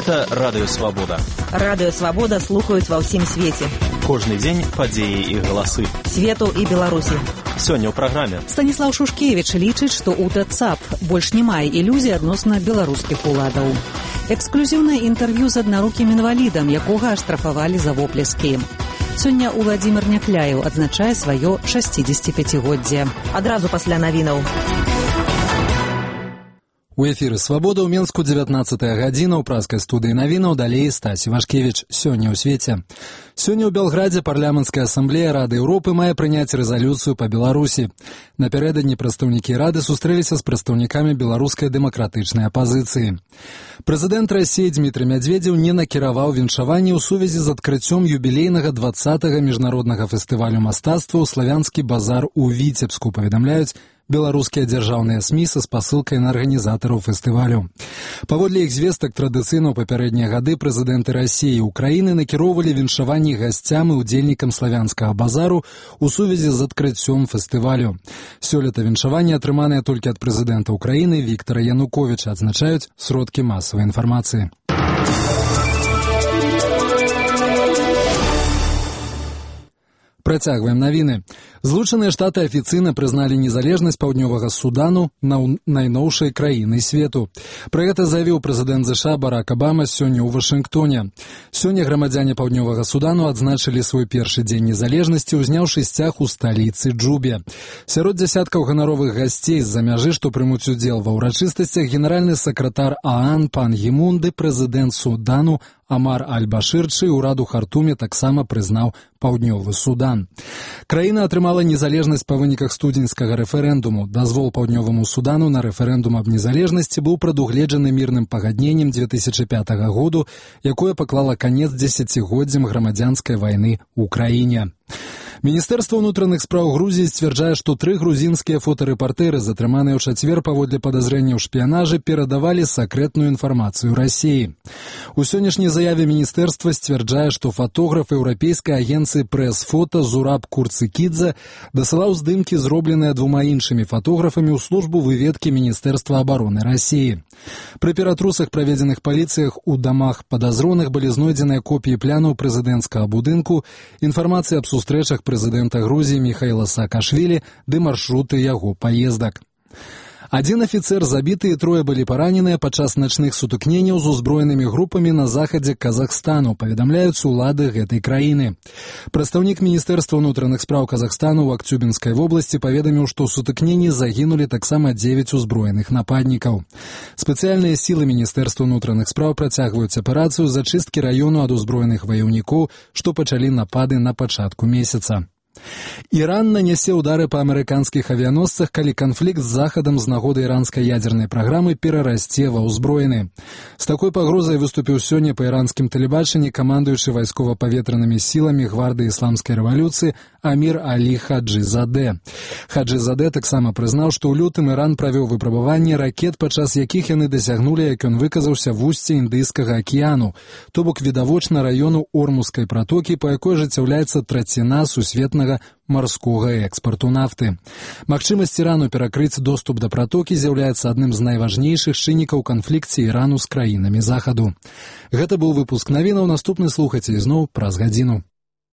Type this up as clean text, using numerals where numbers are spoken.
Гэта Радыё Свабода. Радыё Свабода слухаюць ва ўсім свеце. Кожны дзень падзеі і галасы. Свету і Беларусі. Сёння ў праграме. Станіслаў Шушкевіч лічыць, што УТ ЦАП больш не мае ілюзій адносна беларускіх уладаў. Эксклюзіўнае інтэрв'ю з аднарукім інвалідам, якога аштрафавалі за воплескі. Сёння Уладзімір Някляеў адзначае сваё 65-годдзе. Адразу пасля навінаў. У эфіры «Свабода» ў Менску 19-я гадзіна, ў праскай студыі навінаў, далей Стасі Вашкевіч. Сёння ў свеце. Сёння ў Белградзе парламенцкая асамблея Рады Еўропы мае прыняць рэзалюцыю па Беларусі. Напярэдадні прадстаўнікі Рады сустрэліся з прадстаўнікамі беларускай дэмакратычнай апазіцыі. Прэзідэнт Расіі Дмітрый Мядзведзеў не накіраваў віншаванне ў сувязі з адкрыццём юбілейнага 20-га міжнароднага фестывалю мастацтва ў славянскі базар у Віцебску, паведамляюць беларускія дзяржаўныя СМІ са спасылкай на арганізатараў фестывалю. Паводле іх звестак, традыцыйна ў папярэднія гады прэзідэнты Расіі і Украіны накіроўвалі віншаванні гасцям і ўдзельнікам славянскага базару ў сувязі з адкрыццём фестывалю. Сёлета віншаванні атрыманыя толькі ад прэзідэнта Украіны Віктара Януковіча, адзначаюць сродкі масавай інфармацыі. Працягваем навіны. Злучаныя Штаты афіцыйна прызналі незалежнасць Паўднёвага Судану найноўшай краіны свету. Пра гэта заявіў прэзідэнт ЗША Барак Абама сёння ў Вашынгтоне. Сёння грамадзяне Паўднёвага Судану адзначылі свой першы дзень незалежнасці, узняўшы сцяг у сталіцы Джубе. Сярод дзясяткаў ганаровых гасцей з-за мяжы, што прымуць удзел ва ўрачыстасцях, генеральны сакратар ААН пан Гімун ды прэзідэнт Судану Амар Аль-Башыр, чый урад у Хартуме таксама прызнаў Паўднёвы Судан. Краіна атрымала незалежнасць па выніках студзеньскага рэферэндуму. Дазвол Паўднёваму Судану на рэферэндум аб незалежнасці быў прадугледжаны мірным пагадненнем 2005 году, якое паклала канец дзесяцігоддзям грамадзянскай вайны ў краіне. Міністэрства ўнутраных спраў Грузіі сцвярджае, што 3 грузінскія фотарэпартеры, затрыманыя ў чацвер паводле падазрэння ў шпіянажы, перадавалі сакрэтную інфармацыю Расіі. У сённяшняй заяве міністэрства сцвярджае, што фотограф еўрапейскай агенцыі прэс-фота Зураб Курцыкідзе дасылаў здымкі, зробленыя 2 іншымі фотографамі, ў службу выведкі Міністэрства абароны Расіі. Пры ператрусах, праведзеных паліцыях у дамах падазроных, былі знойдзеныя копіі плянаў прэзідэнцкага будынку, інфармацыя аб сустрэчах прэзідэнта Грузіі Міхаіла Саакашвілі ды маршруты яго паездак. 1 афіцэр забіты і 3 былі параненыя падчас начных сутыкненняў з узброенымі групамі на захадзе Казахстану, паведамляюць улады гэтай краіны. Прадстаўнік Міністэрства ўнутраных спраў Казахстану ў Акцюбінскай вобласці паведаміў, што ў сутыкненні загінулі таксама 9 узброеных нападнікаў. Спецыяльныя сілы Міністэрства ўнутраных спраў працягваюць аперацыю зачысткі раёну ад узброеных ваяўнікоў, што пачалі напады на пачатку месяца. Іран нанясе ўдары па амерыканскіх авіяносцах, калі канфлікт з Захадам з нагоды іранскай ядзернай праграмы перарасце ва ўзброены. З такой пагрозай выступіў сёння па іранскім тэлебачанні камандуючы вайскова-паветранымі сіламі гвардыі ісламскай рэвалюцыі Амір Алі Хаджызадэ. Хаджызадэ таксама прызнаў, што ў лютым Іран правёў выпрабаванне ракет, падчас якіх яны дасягнулі, як ён выказаўся, вусце Індыйскага акіяну, то бок відавочна раёну Ормузскай пратокі, па якой ажыццяўляецца траціна сусветнага марскога экспарту нафты. Магчымасць Ірану перакрыць доступ да пратокі з'яўляецца адным з найважнейшых чыннікаў канфлікце Ірану з краінамі Захаду. Гэта быў выпуск навінаў, наступны слухайце ізноў праз гадзіну.